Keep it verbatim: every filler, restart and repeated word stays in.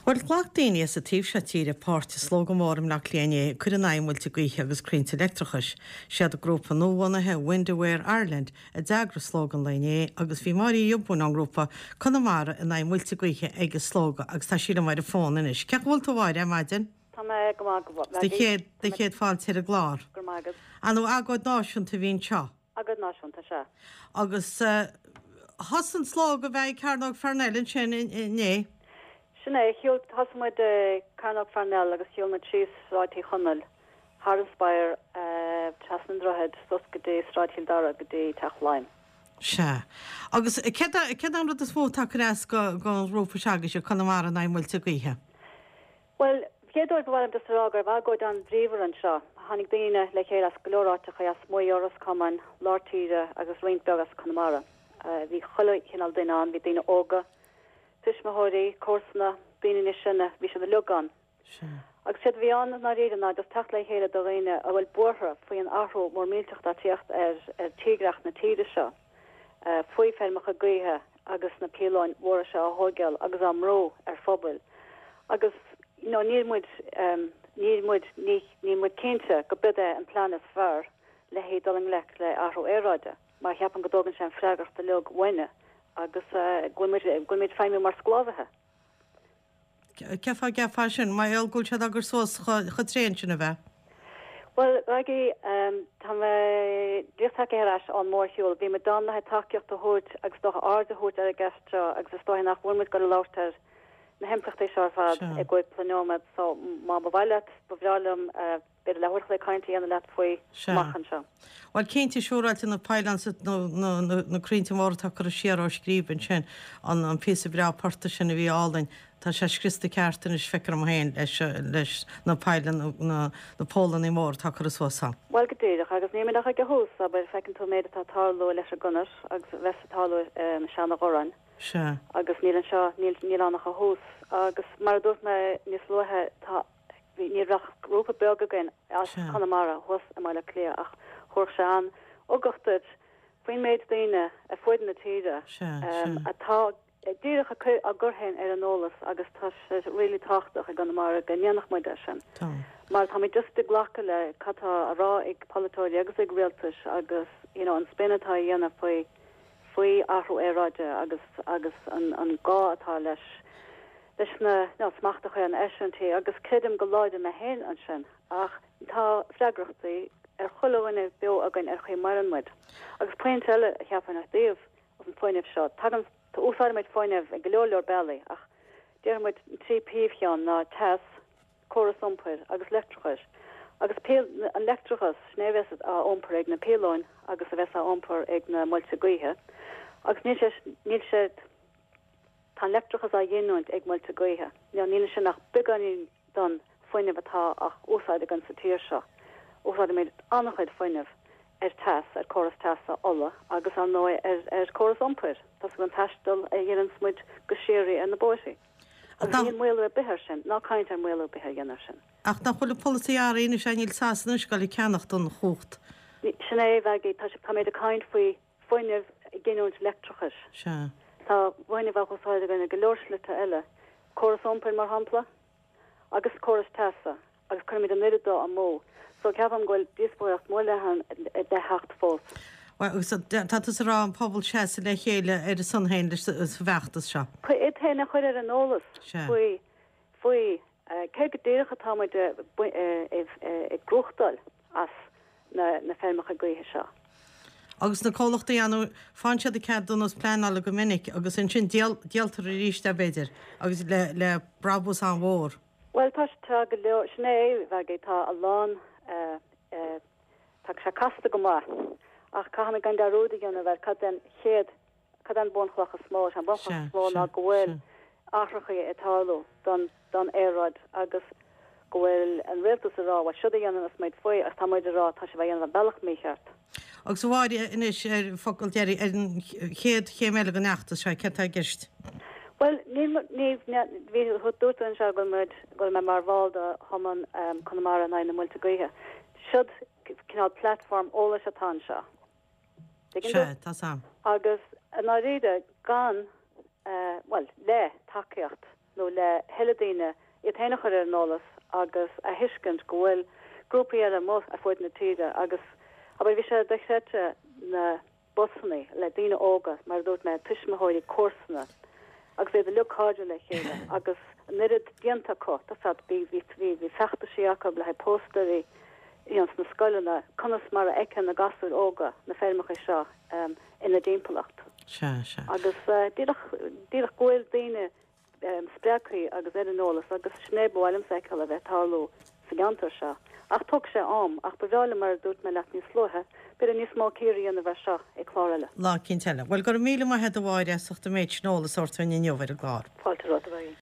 Bhuel, ghlac daoine as an taobh seo tíre páirt i slógadh mór i mBleá Cliath inné ag cur in aghaidh muilte gaoithe agus crainnte leictreachais. Siad grúpa nuabhunaithe Wind Aware Ireland a d'eagraigh slógadh an lae inné agus bhí Máire Uí Ghiobúin ón ngrúpa Conamara in aghaidh muilte gaoithe ag an slógadh agus tá sí liom ar an bhfón anois. Cén chaoi a bhfuil tú a Mháire ar maidin? Tá mé go maith go Do chéad do chéad fáilte ar an gclár. Go raibh maith agat. Ar ndóigh agóid náisiúnta a bhí anseo. Agóid náisiúnta, sea. Agus thosaigh an slógadh a bheith ag Cearnóg Pharnell ansin inné. Sin é, shiúil, thosaigh muid i Cearnóg Pharnell agus shiúil muid síos Sráid Uí Chonaill, thar an Spire, trasna an droichid, suas go dtí Sráid Chill Dara go dtí Teach Laighean. Sea. Agus céard é an rud is mó atá ag cur as don ghrúpa seo agaibhse, Conamara in aghaidh muilte gaoithe? Bhuel, chéad uair ba mhaith liom just a rá go raibh agóid an-bhríomhar anseo. Tháinig daoine le chéile as go leor áiteacha, as Maigh Eo, Ros Comáin, lár tíre agus roinnt beag as Conamara. Bhí chuile chineál duine ann, bhí daoine óga, tuismitheoirí, comharsana, daoine níos sine, bhí siad uilig ann. Agus séard a bhí ann i ndáiríre ná just teacht le chéile do dhaoine a bhfuil buartha faoi an athrú mór millteach atá ag tíocht ar ar tírdhreach na tíre seo, faoi feirmeacha gaoithe agus na píolóin mhóra seo á thóigeáil agus á mbrú ar phobail. Agus you know níl muid níl muid ní níl muid cinnte go b'iod é an plean is fearr le haghaidh dul i ngleic le athrú aeráide mar cheapaim go dtógann sé an freagracht uilig uainne agus go bhfuil muid go bhfuil muid ag feidhmiú mar sclábhaithe. Cén fáth a gceapfá sin, mar gheall go bhfuil siad á gcur suas chomh tréan sin, ab ea? Bhuel, Aggie, tá mé díreach tagtha ar ais ón mórshiúl. Bhí muid ann le haghaidh tacaíocht a thabhairt agus dócha aird a thabhairt ar an gceist seo agus is dóigh nach bhfuil muid ag dul a labhairt ar na himpleachtaí seo ar fad i gcúpla nóiméad so má ba mhaith leat, ba bhreá liom b'fhéidir leathuair a chloig caint a dhéanamh leat faoi amach anseo. Bhuel, cinnte, siúráilte na pylons, na crainnte móra atá curtha siar ó scríb ansin, an píosa breá portaigh sin a bhí álainn, tá sé scriosta ceart anois, feictear dom féin, leis na pylons, na pólannaí móra atá curtha suas ann. Bhuel, go díreach, agus níl muid ach ag an thús, abair, feiceann tú an méid atá ag tarlú leis an gconair agus a bheas ag tarlú i Seanadh Dhorráin. Sea. Agus níl anseo, níl ann ach an thús. Agus mar a dúirt mé níos luaithe, tá. Bhí, ní raibh ach grúpa beag againn as Conamara thuas i mBaile Átha Cliath ach thabharfadh sé an-ugach duit faoin méid daoine ar fuaid na tíre atá díreach ag cur, á gcur féin ar an eolas agus tá sé really tábhachtach i gConamara go ndéanfadh muid é sin mar táimid just ag glacadh le cad tá á rá ag polaiteoirí agus ag rialtais agus you know an spin atá á dhéanamh faoi faoi athrú aeráide agus agus an an gá atá leis leis na nó smacht a chur ar na eisiúintí agus creidim go láidir mé féin ansin ach tá freagrachtaí ar chuile dhuine beo againn ar chaoi a maireann muid. Agus pointe eile a cheapfainn i dtaobh an fuinnimh seo, tagann, úsáidimid fuinneamh i go leor leor bealaí ach déarfaidh muid an trí príomhcheann ná teas, córas iompair agus leictreachais. Agus an leictreachas, sin é a bheas á iompar ag na píolóin agus a bheas á iompar ag na muilte gaoithe agus níl sé, níl sé, Tá an leictreachas á ghiniúint ag muilte gaoithe. Níl ansin ach beagáinín don fuinneamh atá á úsáid againn sa tír seo. Úsáidimid an-chuid fuinnimh ar teas, ar córas teasa, ola agus, ar ndóigh, ar ar córas iompair. Tá an taisteal a dhéananns muid go síoraí ar na bóithrí. Agus níl maolú ar bith air sin, ná caint ar mhaolú ar bith a dhéanamh air sin. Ach nach bhfuil an polasaí athraithe anois, níl Sasana anois ag dul ag ceannacht an chumhacht. Sin é, a Mhaggie, tá táimid ag caint faoi fuinneamh, giniúint leictreachais. Sea. Tá fuinneamh á úsáid againn i go leor slite eile, córas iompair, mar shampla, agus córas teasa, agus cuirimid an oiread dó amú. So ceapaim go bhfuil díospóireacht mór leathan le theacht fós. Bhuel, agus tá tusa ag rá an pobal seasamh le chéile ar a son féin leis sa bhfeachtas seo. Iad féin a chur ar an eolas faoi faoi céard go díreach atá muid ag gnóthachtáil as na feirmeacha gaoithe seo. Agus na comhlachtaí ann, faigheann siad ceadúnas pleanála go minic agus ansin díoltar arís é b'fhéidir agus le le brabús an-mhór. Bhuel tá tá go leor, sin é, Mhaggie, tá a lán, tá sé casta go maith ach caithfimid gan dearúd a dhéanamh ar cad é an chéad Cad é an bhunchloch is mó? Is é an bhunchloch is mó ná go bhfuil athrachaí ag tarlú don don aeráid agus go bhfuil an rialtas ag rá bhuel siod a dhéananns muid faoi ach tá muid ag rá tá sibh á dhéanamh ar bealach mícheart. Agus a Mháire, anois ar focal deiridh ar an chéad chéim eile den fheachtas seo, céard tá i gceist? Bhuel, níl, ní, bhí, dúirt tú anseo go bhfuil muid, go bhfuil mé mar bhall de Chumann Conamara in aghaidh na muilte gaoithe. Siod cineál platform eolais atá anseo. Tuigeann tú? Sea, tá 's a'm. Agus i ndáiríre, gan, bhuel, le tacaíocht nó le tuilleadh daoine iad féin a chur ar an eolas agus a thuiscint go bhfuil grúpaí eile amuigh ar fud na tíre agus abair bhí sé dochreidte na busanna le daoine óga mar a dúirt mé tuismitheoirí comharsana agus iad uilig cairdiúil le chéile agus an oiread déanta acu tá fad bhí bhí bhí bhí feachtaisí acu le haghaidh póstaerí ins na scoileanna conas mar a fheiceann na gasúir óga na feirmeacha seo um, ina dtimpeallacht. Sea sea. Agus uh, díreach díreach go bhfuil daoine um, spreagtha agus ar an eolas agus sin é ba mhaith liom a fheiceáil a bheith ag tarlú sa gceantar seo. Ach tógfaidh sé am ach ba bhreá liom mar a dúirt mé leat níos luaithe, b'fhéidir níos mó cíoradh a dhéanamh air seo i clár eile. Lá eicínt eile. Well go raibh míle maith agat a Mháire as ucht an méid sin eolais a thabhairt dúinn inniu ar an gclár. Fáilte romhat a bheith.